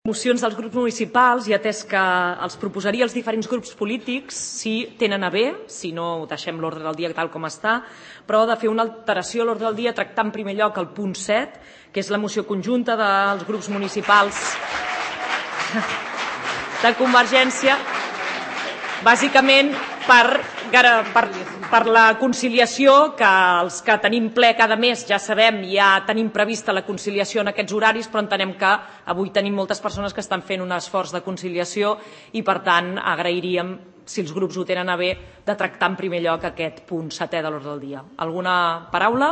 Mocions dels grups municipals, i atès que els proposaria els diferents grups polítics, si tenen a bé, si no deixem l'ordre del dia tal com està, però de fer una alteració a l'ordre del dia, tractar en primer lloc el punt 7, que és la moció conjunta dels grups municipals de Convergència, bàsicament per la conciliació, que els que tenim ple cada mes ja sabem, ja tenim prevista la conciliació en aquests horaris, però entenem que avui tenim moltes persones que estan fent un esforç de conciliació i, per tant, agrairíem, si els grups ho tenen a bé, de tractar en primer lloc aquest punt 7è de l'ordre del dia. Alguna paraula?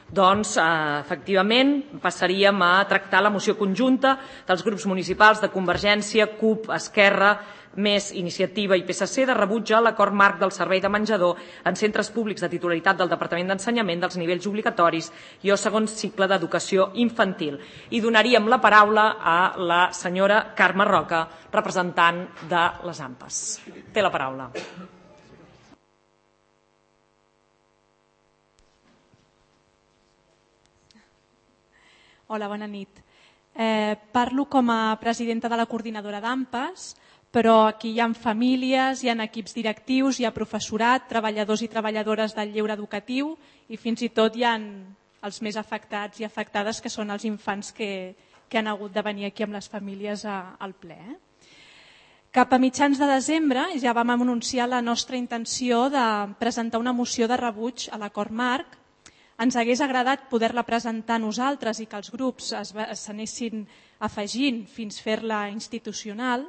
Doncs, efectivament, passaríem a tractar la moció conjunta dels grups municipals de Convergència, CUP, Esquerra, més Iniciativa i PSC de rebuig a l'acord marc del servei de menjador en centres públics de titularitat del Departament d'Ensenyament dels nivells obligatoris i o segon cicle d'educació infantil. I donaríem la paraula a la senyora Carme Roca, representant de les AMPAs. Té la paraula. Hola, bona nit. Parlo com a presidenta de la coordinadora d'AMPAs, però aquí hi ha famílies, hi ha equips directius, hi ha professorat, treballadors i treballadores del lleure educatiu i fins i tot hi ha els més afectats i afectades, que són els infants que han hagut de venir aquí amb les famílies al ple. Cap a mitjans de desembre ja vam anunciar la nostra intenció de presentar una moció de rebuig a l'acord marc. Ens hagués agradat poder-la presentar nosaltres i que els grups s'anessin afegint fins fer-la institucional.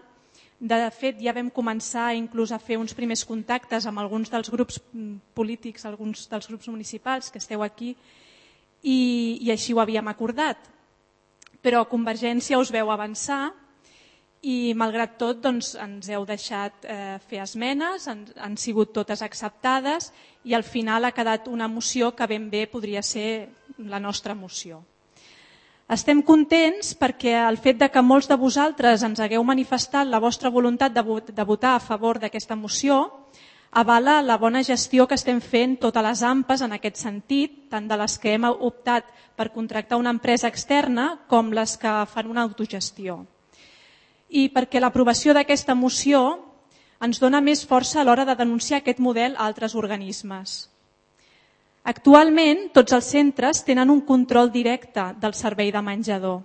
De fet, ja vam començar inclús a fer uns primers contactes amb alguns dels grups polítics, alguns dels grups municipals que esteu aquí, i així ho havíem acordat. Però Convergència us veu avançar i, malgrat tot, ens heu deixat fer esmenes, han sigut totes acceptades i al final ha quedat una moció que ben bé podria ser la nostra moció. Estem contents perquè el fet que molts de vosaltres ens hagueu manifestat la vostra voluntat de votar a favor d'aquesta moció avala la bona gestió que estem fent totes les AMPAs en aquest sentit, tant de les que hem optat per contractar una empresa externa com les que fan una autogestió. I perquè l'aprovació d'aquesta moció ens dona més força a l'hora de denunciar aquest model a altres organismes. Actualment, tots els centres tenen un control directe del servei de menjador.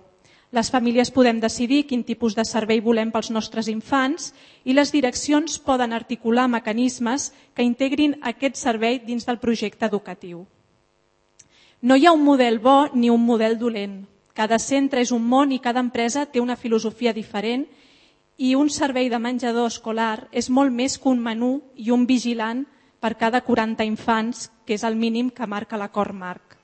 Les famílies podem decidir quin tipus de servei volem pels nostres infants i les direccions poden articular mecanismes que integrin aquest servei dins del projecte educatiu. No hi ha un model bo ni un model dolent. Cada centre és un món i cada empresa té una filosofia diferent i un servei de menjador escolar és molt més que un menú i un vigilant per cada 40 infants, que és el mínim que marca l'acord marc.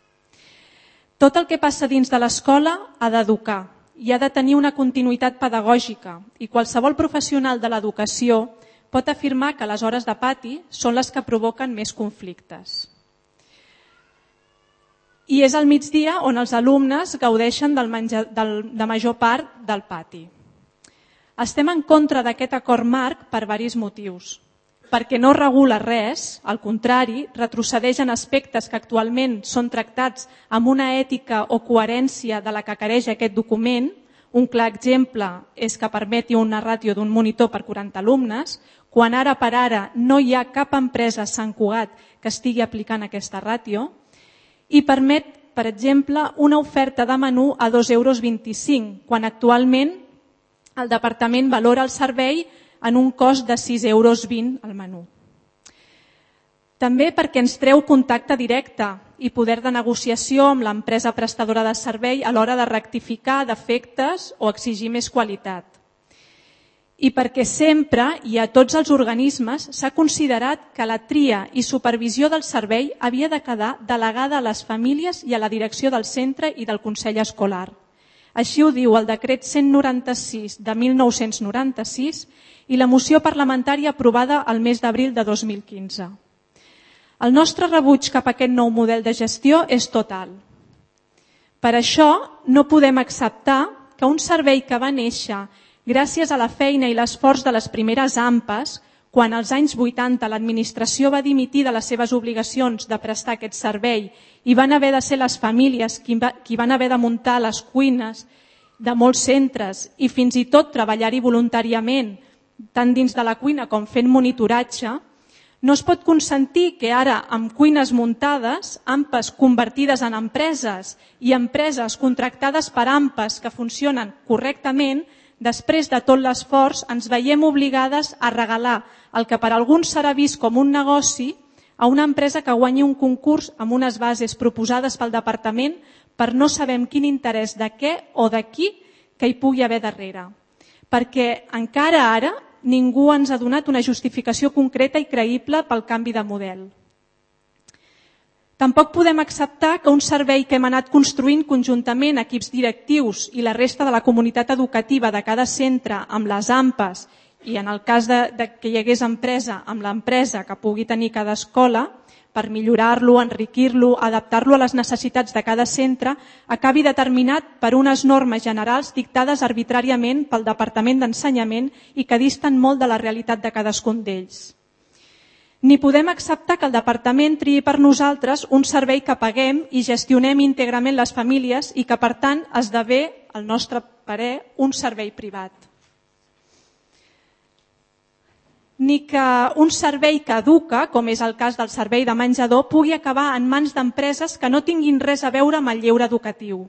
Tot el que passa dins de l'escola ha d'educar i ha de tenir una continuïtat pedagògica i qualsevol professional de l'educació pot afirmar que les hores de pati són les que provoquen més conflictes. I és al migdia on els alumnes gaudeixen de major part del pati. Estem en contra d'aquest acord marc per diversos motius. Perquè no regula res, al contrari, retrocedeix en aspectes que actualment són tractats amb una ètica o coherència de la que careix aquest document. Un clar exemple és que permeti una ràtio d'un monitor per 40 alumnes, quan ara per ara no hi ha cap empresa a Sant Cugat que estigui aplicant aquesta ràtio, i permet, per exemple, una oferta de menú a 2,25 €, quan actualment el departament valora el servei en un cost de 6,20 € al menú. També perquè ens treu contacte directe i poder de negociació amb l'empresa prestadora de servei a l'hora de rectificar defectes o exigir més qualitat. I perquè sempre i a tots els organismes s'ha considerat que la tria i supervisió del servei havia de quedar delegada a les famílies i a la direcció del centre i del Consell Escolar. Així ho diu el decret 196 de 1996 i la moció parlamentària aprovada el mes d'abril de 2015. El nostre rebuig cap a aquest nou model de gestió és total. Per això no podem acceptar que un servei que va néixer gràcies a la feina i l'esforç de les primeres AMPAs, quan als anys 80 l'administració va dimitir de les seves obligacions de prestar aquest servei i van haver de ser les famílies qui van haver de muntar les cuines de molts centres i fins i tot treballar-hi voluntàriament, tant dins de la cuina com fent monitoratge, no es pot consentir que ara, amb cuines muntades, AMPAs convertides en empreses i empreses contractades per AMPAs que funcionen correctament, després de tot l'esforç ens veiem obligades a regalar el que per alguns serà vist com un negoci a una empresa que guanyi un concurs amb unes bases proposades pel departament per no sabem quin interès de què o de qui que hi pugui haver darrere. Perquè encara ara ningú ens ha donat una justificació concreta i creïble pel canvi de model. Tampoc podem acceptar que un servei que hem anat construint conjuntament equips directius i la resta de la comunitat educativa de cada centre amb les AMPAs i en el cas de que hi hagués empresa amb l'empresa que pugui tenir cada escola, per millorar-lo, enriquir-lo, adaptar-lo a les necessitats de cada centre, acabi determinat per unes normes generals dictades arbitràriament pel Departament d'Ensenyament i que disten molt de la realitat de cadascun d'ells. Ni podem acceptar que el Departament triï per nosaltres un servei que paguem i gestionem íntegrament les famílies i que, per tant, esdevé, al nostre parer, un servei privat. Ni que un servei que educa, com és el cas del servei de menjador, pugui acabar en mans d'empreses que no tinguin res a veure amb el lleure educatiu.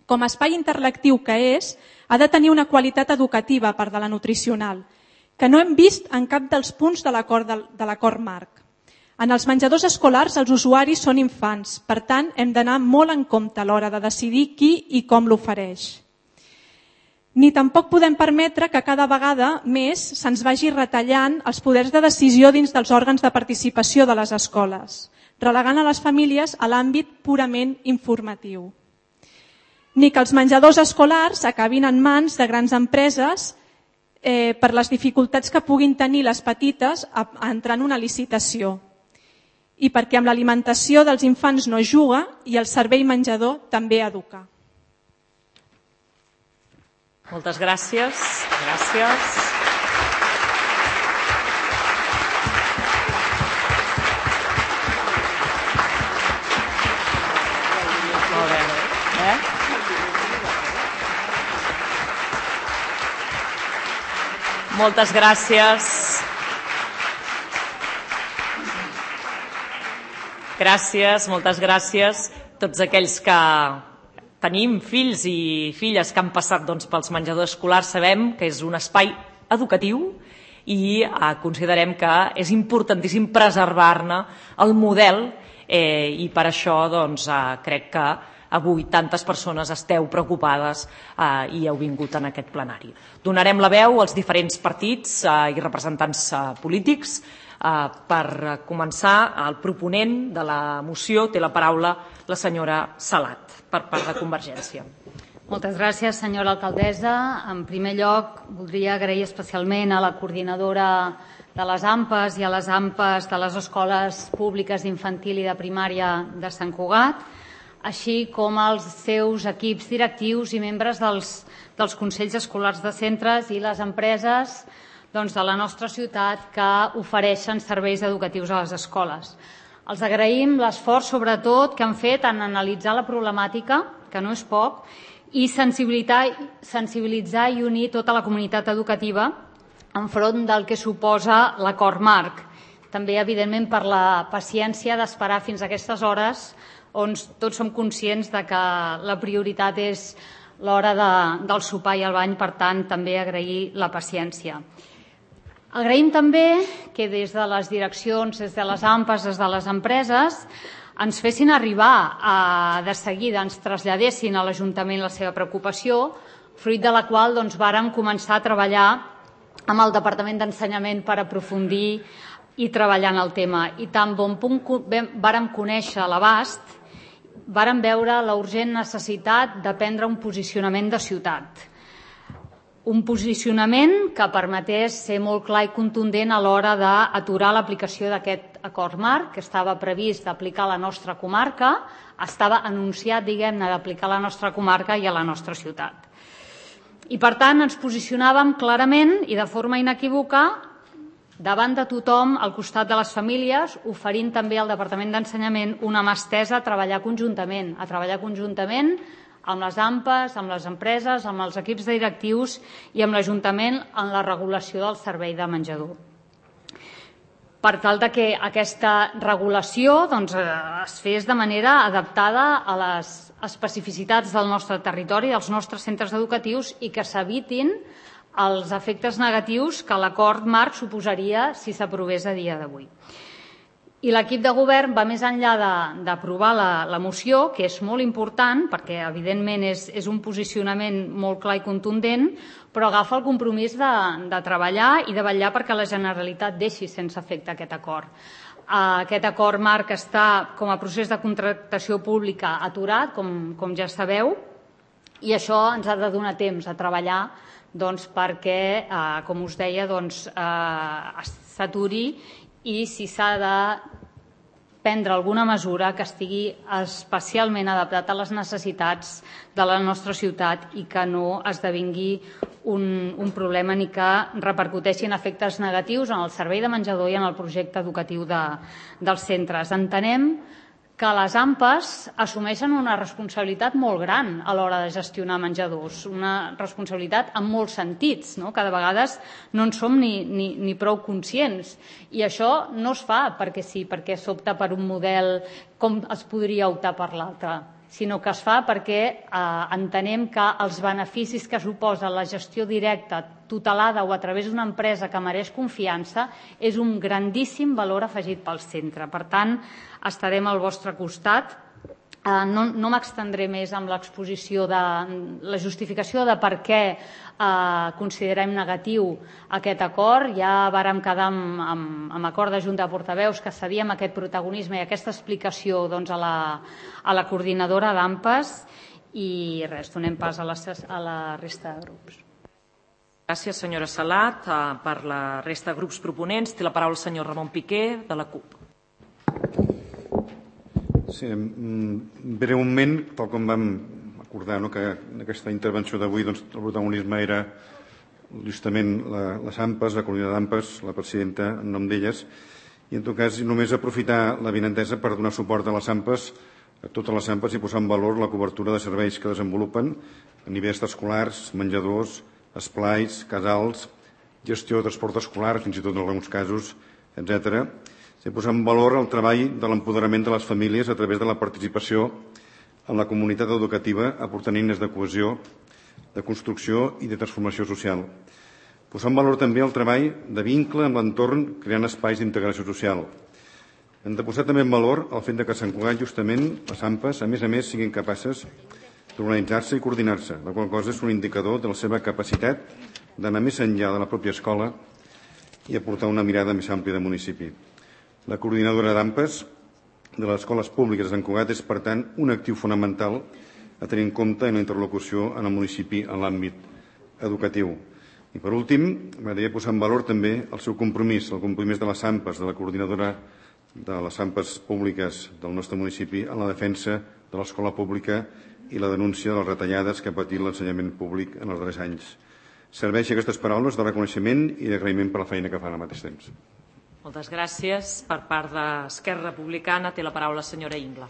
Com a espai interactiu que és, ha de tenir una qualitat educativa, a part de la nutricional, que no hem vist en cap dels punts de l'acord marc. En els menjadors escolars els usuaris són infants, per tant hem d'anar molt en compte a l'hora de decidir qui i com l'ofereix. Ni tampoc podem permetre que cada vegada més se'ns vagi retallant els poders de decisió dins dels òrgans de participació de les escoles, relegant a les famílies a l'àmbit purament informatiu. Ni que els menjadors escolars acabin en mans de grans empreses per les dificultats que puguin tenir les petites a entrar en una licitació i perquè amb l'alimentació dels infants no es juga i el servei menjador també educa. Moltes gràcies. Gràcies. Molt bé. Moltes gràcies. Gràcies, moltes gràcies a tots aquells que tenim fills i filles que han passat pels menjadors escolars, sabem que és un espai educatiu i considerem que és importantíssim preservar-ne el model i per això crec que avui tantes persones esteu preocupades i heu vingut en aquest plenari. Donarem la veu als diferents partits i representants polítics. Per començar, el proponent de la moció té la paraula la senyora Salat, per part de Convergència. Moltes gràcies, senyora alcaldessa. En primer lloc, voldria agrair especialment a la coordinadora de les AMPAs i a les AMPAs de les escoles públiques d'infantil i de primària de Sant Cugat, així com als seus equips directius i membres dels consells escolars de centres i les empreses de la nostra ciutat que ofereixen serveis educatius a les escoles. Els agraïm l'esforç, sobretot, que han fet en analitzar la problemàtica, que no és poc, i sensibilitzar i unir tota la comunitat educativa enfront del que suposa l'acord marc. També, evidentment, per la paciència d'esperar fins a aquestes hores on tots som conscients de que la prioritat és l'hora del sopar i el bany, per tant, també agrair la paciència. Agraïm també que des de les direccions, des de les AMPAs, des de les empreses, ens fessin arribar de seguida, ens traslladessin a l'Ajuntament la seva preocupació, fruit de la qual vàrem començar a treballar amb el Departament d'Ensenyament per aprofundir i treballar en el tema. I tan bon punt vàrem conèixer l'abast, vàrem veure la urgent necessitat de prendre un posicionament de ciutat. Un posicionament que permetés ser molt clar i contundent a l'hora d'aturar l'aplicació d'aquest acord marc, que estava previst d'aplicar a la nostra comarca, estava anunciat, d'aplicar a la nostra comarca i a la nostra ciutat. I, per tant, ens posicionàvem clarament i de forma inequívoca davant de tothom, al costat de les famílies, oferint també al Departament d'Ensenyament una mà estesa a treballar conjuntament amb les AMPAs, amb les empreses, amb els equips directius i amb l'Ajuntament en la regulació del servei de menjador. Per tal que aquesta regulació es fes de manera adaptada a les especificitats del nostre territori, dels nostres centres educatius i que s'evitin els efectes negatius que l'acord marc suposaria si s'aprovés a dia d'avui. I l'equip de govern va més enllà d'aprovar la moció, que és molt important perquè evidentment és un posicionament molt clar i contundent, però agafa el compromís de treballar i de vetllar perquè la Generalitat deixi sense efecte aquest acord. Aquest acord marc està com a procés de contractació pública aturat, com ja sabeu, i això ens ha de donar temps a treballar perquè, com us deia, s'aturi i si s'ha de prendre alguna mesura que estigui especialment adaptat a les necessitats de la nostra ciutat i que no esdevingui un problema ni que repercuteixi en efectes negatius en el servei de menjador i en el projecte educatiu dels centres. Entenem que les AMPAs assumeixen una responsabilitat molt gran a l'hora de gestionar menjadors, una responsabilitat en molts sentits, que de vegades no en som ni prou conscients. I això no es fa perquè sí, perquè s'opta per un model com es podria optar per l'altre, sinó que es fa perquè entenem que els beneficis que suposa la gestió directa, tutelada o a través d'una empresa que mereix confiança és un grandíssim valor afegit pel centre. Per tant, estarem al vostre costat. No m'extendré més amb l'exposició de la justificació de per què considerem negatiu aquest acord. Ja vàrem quedar amb acord de Junta de Portaveus que cedíem aquest protagonisme i aquesta explicació a la coordinadora d'AMPAs i res, donem pas a la resta de grups. Gràcies, senyora Salat. Per la resta de grups proponents té la paraula el senyor Ramon Piqué, de la CUP. Sí, breument, tal com vam acordar que en aquesta intervenció d'avui el protagonisme era justament les AMPAs, la coordinadora d'AMPAs, la presidenta en nom d'elles, i en tot cas només aprofitar l'avinentesa per donar suport a les AMPAs, a totes les AMPAs, i posar en valor la cobertura de serveis que desenvolupen a nivell extraescolars, menjadors, esplais, casals, gestió de transport escolar, fins i tot en alguns casos, etc. Se posa en valor el treball de l'empoderament de les famílies a través de la participació en la comunitat educativa, aportant eines de cohesió, de construcció i de transformació social. Posar en valor també el treball de vincle amb l'entorn creant espais d'integració social. Hem de posar també en valor el fet que a Sant Cugat, justament, les AMPAs, a més, siguin capaces d'organitzar-se i coordinar-se, la qual cosa és un indicador de la seva capacitat d'anar més enllà de la pròpia escola i aportar una mirada més àmplia del municipi. La coordinadora d'AMPAs de les escoles públiques de Sant Cugat és, per tant, un actiu fonamental a tenir en compte en la interlocució en el municipi en l'àmbit educatiu. I, per últim, m'agradaria posar en valor també el seu compromís, el compromís de les AMPAs, de la coordinadora de les AMPAs públiques del nostre municipi en la defensa de l'escola pública i la denúncia de les retallades que ha patit l'ensenyament públic en els darrers anys. Serveixi aquestes paraules de reconeixement i d'agraïment per la feina que fan al mateix temps. Moltes gràcies. Per part d'Esquerra Republicana té la paraula la senyora Ingla.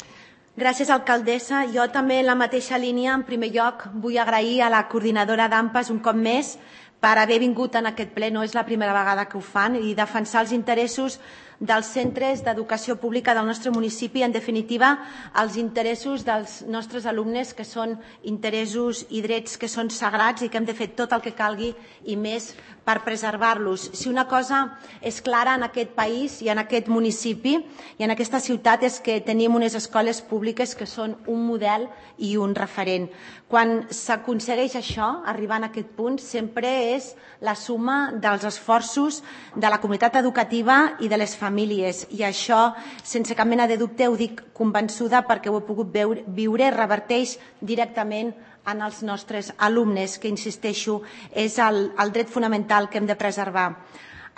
Gràcies, alcaldessa. Jo també en la mateixa línia, en primer lloc, vull agrair a la coordinadora d'AMPAs un cop més per haver vingut en aquest ple, no és la primera vegada que ho fan, i defensar els interessos dels centres d'educació pública del nostre municipi, en definitiva, els interessos dels nostres alumnes, que són interessos i drets que són sagrats i que hem de fer tot el que calgui i més per preservar-los. Si una cosa és clara en aquest país i en aquest municipi i en aquesta ciutat és que tenim unes escoles públiques que són un model i un referent. Quan s'aconsegueix això, arribar a aquest punt, sempre és la suma dels esforços de la comunitat educativa i de les famílies. I això, sense cap mena de dubte, ho dic convençuda perquè ho he pogut viure, reverteix directament en els nostres alumnes, que, insisteixo, és el dret fonamental que hem de preservar.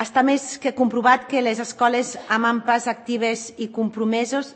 Està més que comprovat que les escoles amb AMPAs actives i compromeses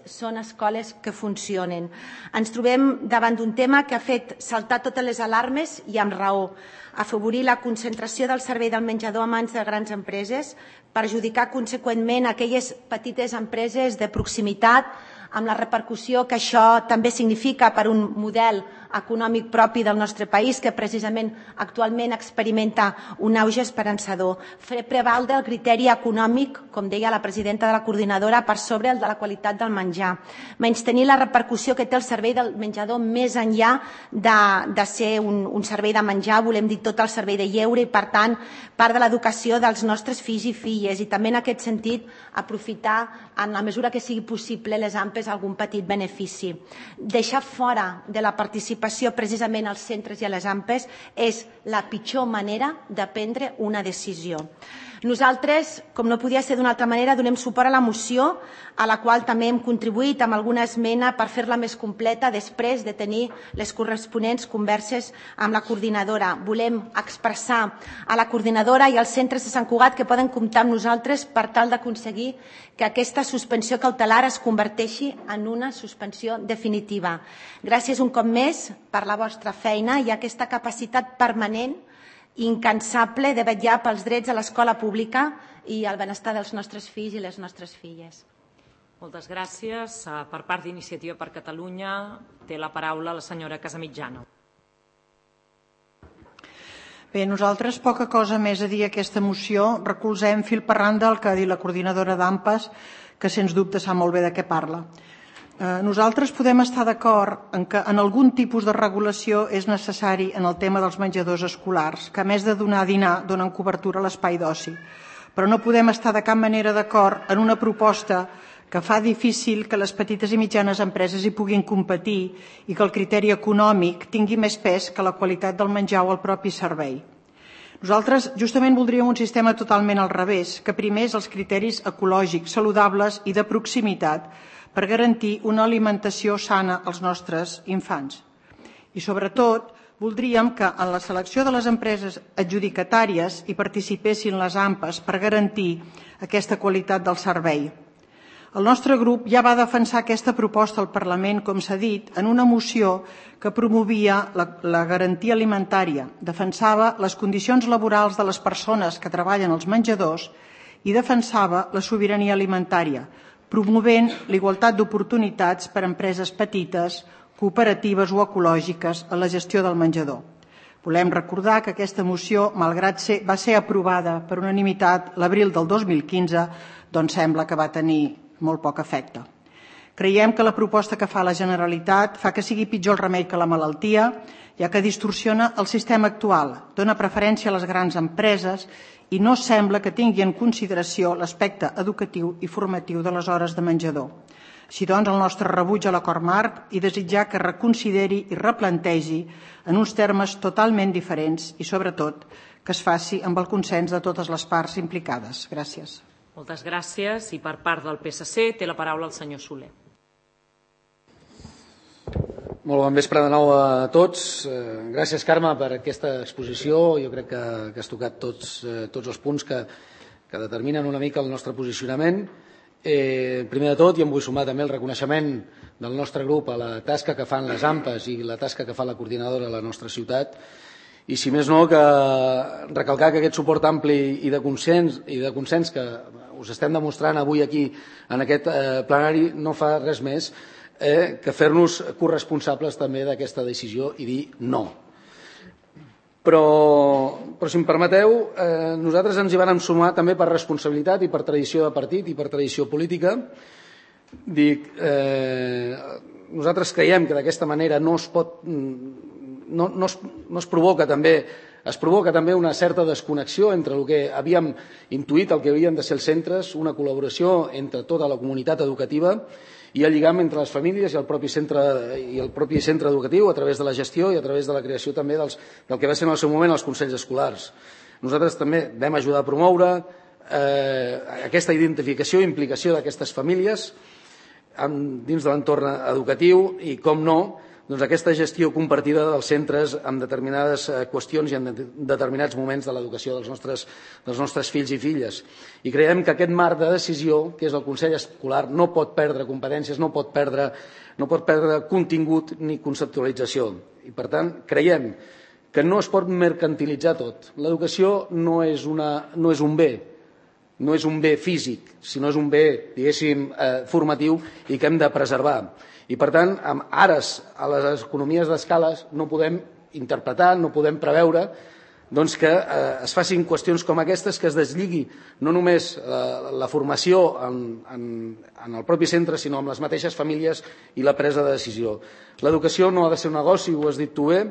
són escoles que funcionen. Ens trobem davant d'un tema que ha fet saltar totes les alarmes i amb raó. Afavorir la concentració del servei del menjador a mans de grans empreses, perjudicar conseqüentment aquelles petites empreses de proximitat amb la repercussió que això també significa per un model econòmic propi del nostre país, que precisament actualment experimenta un auge esperançador. Fer prevaldre el criteri econòmic, com deia la presidenta de la coordinadora, per sobre el de la qualitat del menjar. Menystenir la repercussió que té el servei del menjador més enllà de ser un servei de menjar, volem dir tot el servei de lleure i, per tant, part de l'educació dels nostres fills i filles. I també en aquest sentit aprofitar, en la mesura que sigui possible, les AMPEs algun petit benefici. Deixar fora de la participació precisament als centres i a les AMPEs és la pitjor manera de prendre una decisió. Nosaltres, com no podia ser d'una altra manera, donem suport a la moció, a la qual també hem contribuït amb alguna esmena per fer-la més completa després de tenir les corresponents converses amb la coordinadora. Volem expressar a la coordinadora i als centres de Sant Cugat que poden comptar amb nosaltres per tal d'aconseguir que aquesta suspensió cautelar es converteixi en una suspensió definitiva. Gràcies un cop més per la vostra feina i aquesta capacitat permanent incansable de vetllar pels drets a l'escola pública i el benestar dels nostres fills i les nostres filles. Moltes gràcies. Per part d'Iniciativa per Catalunya té la paraula la senyora Casamitjana. Bé, nosaltres poca cosa més a dir a aquesta moció. Recolzem fil per randa el que ha dit la coordinadora d'AMPEs, que sens dubte sap molt bé de què parla. Nosaltres podem estar d'acord en que en algun tipus de regulació és necessari en el tema dels menjadors escolars, que a més de donar a dinar donen cobertura a l'espai d'oci. Però no podem estar de cap manera d'acord en una proposta que fa difícil que les petites i mitjanes empreses hi puguin competir i que el criteri econòmic tingui més pes que la qualitat del menjar o el propi servei. Nosaltres justament voldríem un sistema totalment al revés, que primés els criteris ecològics, saludables i de proximitat per garantir una alimentació sana als nostres infants. I sobretot voldríem que en la selecció de les empreses adjudicatàries hi participessin les AMPEs per garantir aquesta qualitat del servei. El nostre grup ja va defensar aquesta proposta al Parlament, com s'ha dit, en una moció que promovia la garantia alimentària, defensava les condicions laborals de les persones que treballen als menjadors i defensava la sobirania alimentària, promovent l'igualtat d'oportunitats per a empreses petites, cooperatives o ecològiques en la gestió del menjador. Volem recordar que aquesta moció, malgrat va ser aprovada per unanimitat l'abril del 2015, doncs sembla que va tenir molt poc efecte. Creiem que la proposta que fa la Generalitat fa que sigui pitjor el remei que la malaltia, ja que distorsiona el sistema actual, dona preferència a les grans empreses i no sembla que tingui en consideració l'aspecte educatiu i formatiu de les hores de menjador. Així doncs, el nostre rebuig a l'acord marc i desitjar que reconsideri i replantegi en uns termes totalment diferents i, sobretot, que es faci amb el consens de totes les parts implicades. Gràcies. Moltes gràcies. I per part del PSC té la paraula el senyor Soler. Molt bon vespre de nou a tots. Gràcies, Carme, per aquesta exposició. Jo crec que has tocat tots els punts que determinen una mica el nostre posicionament. Primer de tot, i em vull sumar també el reconeixement del nostre grup a la tasca que fan les AMPEs i la tasca que fa la coordinadora a la nostra ciutat. I, si més no, que recalcar que aquest suport ampli i de consens que us estem demostrant avui aquí en aquest plenari no fa res més que fer-nos corresponsables també d'aquesta decisió i dir no. Però si em permeteu, nosaltres ens hi vàrem sumar també per responsabilitat i per tradició de partit i per tradició política. Nosaltres creiem que d'aquesta manera no es provoca també una certa desconnexió entre el que havíem intuït, el que havien de ser els centres, una col·laboració entre tota la comunitat educativa i el lligam entre les famílies i el propi centre educatiu a través de la gestió i a través de la creació també del que va ser en el seu moment els consells escolars. Nosaltres també vam ajudar a promoure aquesta identificació i implicació d'aquestes famílies dins de l'entorn educatiu i, com no, aquesta gestió compartida dels centres en determinades qüestions i en determinats moments de l'educació dels nostres fills i filles. I creiem que aquest marc de decisió, que és el Consell Escolar, no pot perdre competències, no pot perdre contingut ni conceptualització. I, per tant, creiem que no es pot mercantilitzar tot. L'educació no és un bé, no és un bé físic, sinó és un bé, diguéssim, formatiu i que hem de preservar. I, per tant, amb ares a les economies d'escales no podem interpretar, no podem preveure doncs, que es facin qüestions com aquestes, que es deslligui no només la formació en el propi centre, sinó amb les mateixes famílies i la presa de decisió. L'educació no ha de ser un negoci, ho has dit tu bé,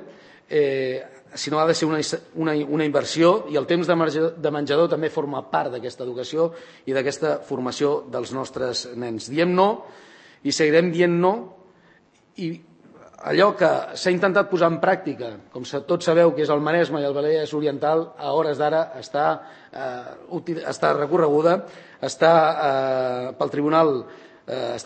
sinó ha de ser una inversió, i el temps de menjador també forma part d'aquesta educació i d'aquesta formació dels nostres nens. Diem no i seguirem dient no, i allò que s'ha intentat posar en pràctica, com tots sabeu que és el Maresme i el Vallès Oriental, a hores d'ara està recorreguda, està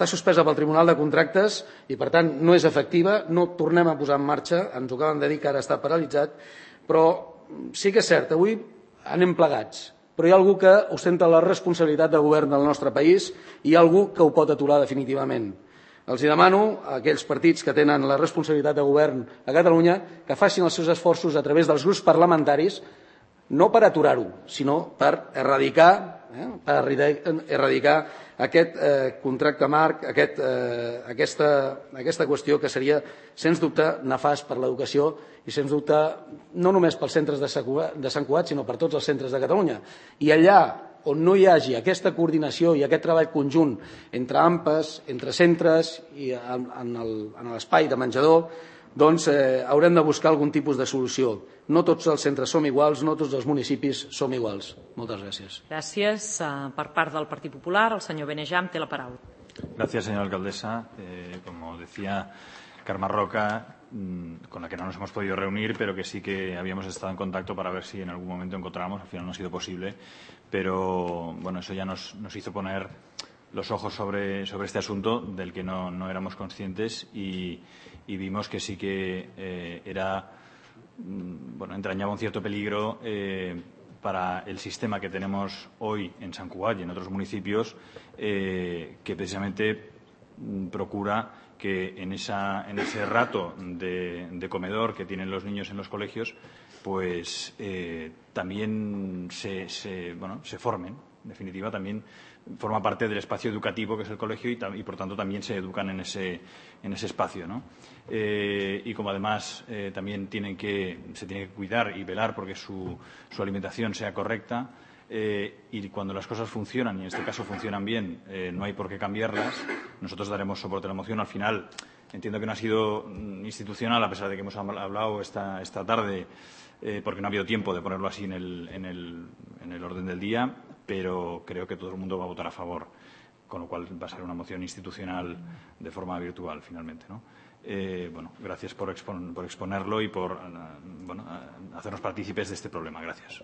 suspesa pel Tribunal de Contractes i, per tant, no és efectiva, no tornem a posar en marxa, ens ho acaben de dir que ara està paralitzat, però sí que és cert, avui anem plegats, però hi ha algú que ostenta la responsabilitat de govern del nostre país i hi ha algú que ho pot aturar definitivament. Els demano a aquells partits que tenen la responsabilitat de govern a Catalunya que facin els seus esforços a través dels grups parlamentaris, no per aturar-ho, sinó per erradicar aquest contracte marc, aquesta qüestió que seria, sens dubte, nefast per l'educació i, sens dubte, no només pels centres de Sant Cugat, sinó per tots els centres de Catalunya. I allà on no hi hagi aquesta coordinació i aquest treball conjunt entre AMPAs, entre centres i en l'espai de menjador, doncs haurem de buscar algun tipus de solució. No tots els centres som iguals, no tots els municipis som iguals. Moltes gràcies. Gràcies. Per part del Partit Popular, el senyor Benejam té la paraula. Gracias, señora alcaldesa. Como decía Carme Roca, con la que no nos hemos podido reunir, pero que sí que habíamos estado en contacto para ver si en algún momento encontrábamos. Al final no ha sido posible, pero bueno, eso ya nos hizo poner los ojos sobre este asunto del que no éramos conscientes y vimos que sí que entrañaba un cierto peligro para el sistema que tenemos hoy en Sant Cugat y en otros municipios, que precisamente procura que en ese rato de comedor que tienen los niños en los colegios, pues también se formen. En definitiva, también forma parte del espacio educativo que es el colegio y por tanto también se educan en ese espacio, ¿no? Y como además también se tiene que cuidar y velar porque su alimentación sea correcta, y cuando las cosas funcionan, y en este caso funcionan bien, no hay por qué cambiarlas. Nosotros daremos soporte a la moción. Al final, entiendo que no ha sido institucional, a pesar de que hemos hablado esta tarde, porque no ha habido tiempo de ponerlo así en el orden del día, pero creo que todo el mundo va a votar a favor, con lo cual va a ser una moción institucional de forma virtual, finalmente, ¿no? Gracias por exponerlo y por hacernos partícipes de este problema. Gracias.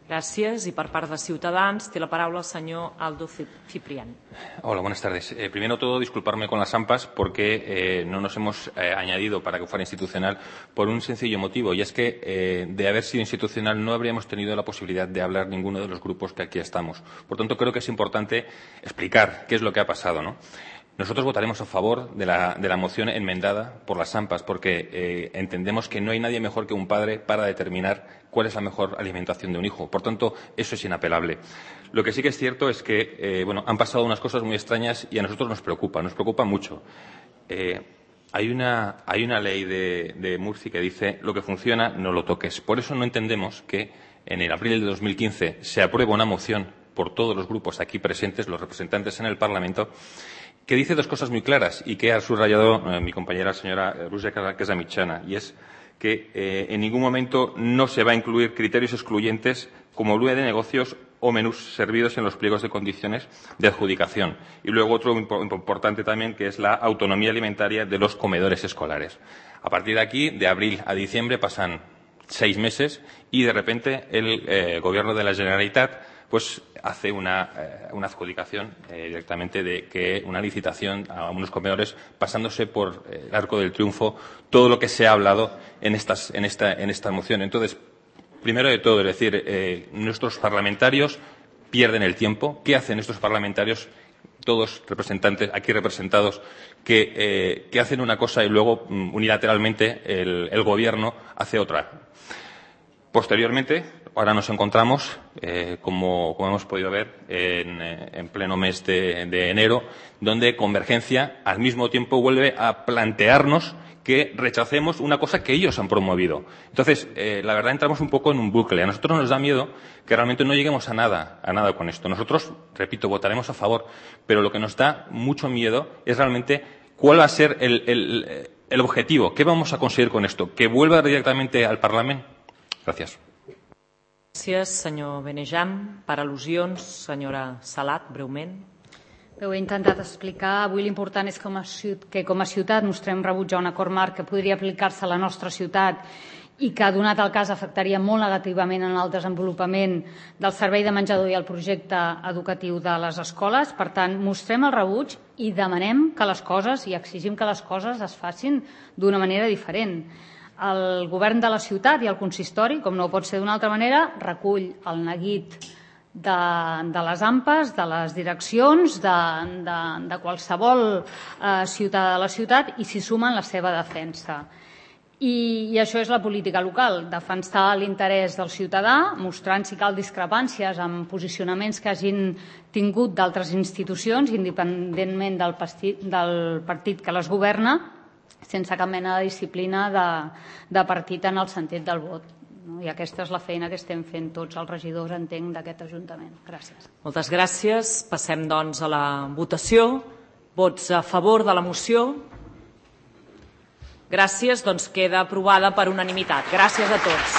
Gràcies. I per part de Ciutadans té la paraula el senyor Aldo Ciprián. Hola, buenas tardes. Primero todo, disculparme con las AMPAs porque no nos hemos añadido para que fuera institucional por un sencillo motivo, y es que de haber sido institucional no habríamos tenido la posibilidad de hablar ninguno de los grupos que aquí estamos. Por tanto, creo que es importante explicar qué es lo que ha pasado, ¿no? Nosotros votaremos a favor de la moción enmendada por las AMPAs porque entendemos que no hay nadie mejor que un padre para determinar cuál es la mejor alimentación de un hijo. Por tanto, eso es inapelable. Lo que sí que es cierto es que han pasado unas cosas muy extrañas y a nosotros nos preocupa mucho. Hay una ley de Murcia que dice lo que funciona no lo toques. Por eso no entendemos que en el abril de 2015 se apruebe una moción por todos los grupos aquí presentes, los representantes en el Parlamento, que dice dos cosas muy claras y que ha subrayado mi compañera señora Rosa Casamitjana, y es que en ningún momento no se va a incluir criterios excluyentes como lugar de negocios o menús servidos en los pliegos de condiciones de adjudicación. Y luego otro importante también, que es la autonomía alimentaria de los comedores escolares. A partir de aquí, de abril a diciembre, pasan 6 meses y de repente el Gobierno de la Generalitat pues hace una adjudicación directamente de que una licitación a unos comedores, pasándose por el arco del triunfo todo lo que se ha hablado en esta moción. Entonces, primero de todo, es decir, nuestros parlamentarios pierden el tiempo. ¿Qué hacen estos parlamentarios, todos representantes aquí representados, que hacen una cosa y luego unilateralmente el Gobierno hace otra? Posteriormente, ahora nos encontramos, como hemos podido ver, en pleno mes de enero, donde Convergencia al mismo tiempo vuelve a plantearnos que rechacemos una cosa que ellos han promovido. Entonces, la verdad, entramos un poco en un bucle. A nosotros nos da miedo que realmente no lleguemos a nada con esto. Nosotros, repito, votaremos a favor, pero lo que nos da mucho miedo es realmente cuál va a ser el objetivo. ¿Qué vamos a conseguir con esto? ¿Que vuelva directament al Parlament? Gràcies. Gràcies, senyor Benejam. Per al·lusions, senyora Salat, breument. Ho he intentat explicar. Avui l'important és que com a ciutat mostrem rebuig a un acord marc que podria aplicar-se a la nostra ciutat i que, donat el cas, afectaria molt negativament en el desenvolupament del servei de menjador i el projecte educatiu de les escoles. Per tant, mostrem el rebuig i demanem que les coses i exigim que les coses es facin d'una manera diferent. El govern de la ciutat i el consistori, com no pot ser d'una altra manera, recull el neguit de les AMPAs, de les direccions, de qualsevol ciutadà de la ciutat i s'hi suma en la seva defensa. I això és la política local, defensar l'interès del ciutadà, mostrant si cal discrepàncies amb posicionaments que hagin tingut d'altres institucions, independentment del partit que les governa, sense cap mena de disciplina de partit en el sentit del vot. I aquesta és la feina que estem fent tots els regidors, entenc, d'aquest Ajuntament. Gràcies. Moltes gràcies. Passem, doncs, a la votació. Vots a favor de la moció? Gràcies. Doncs queda aprovada per unanimitat. Gràcies a tots.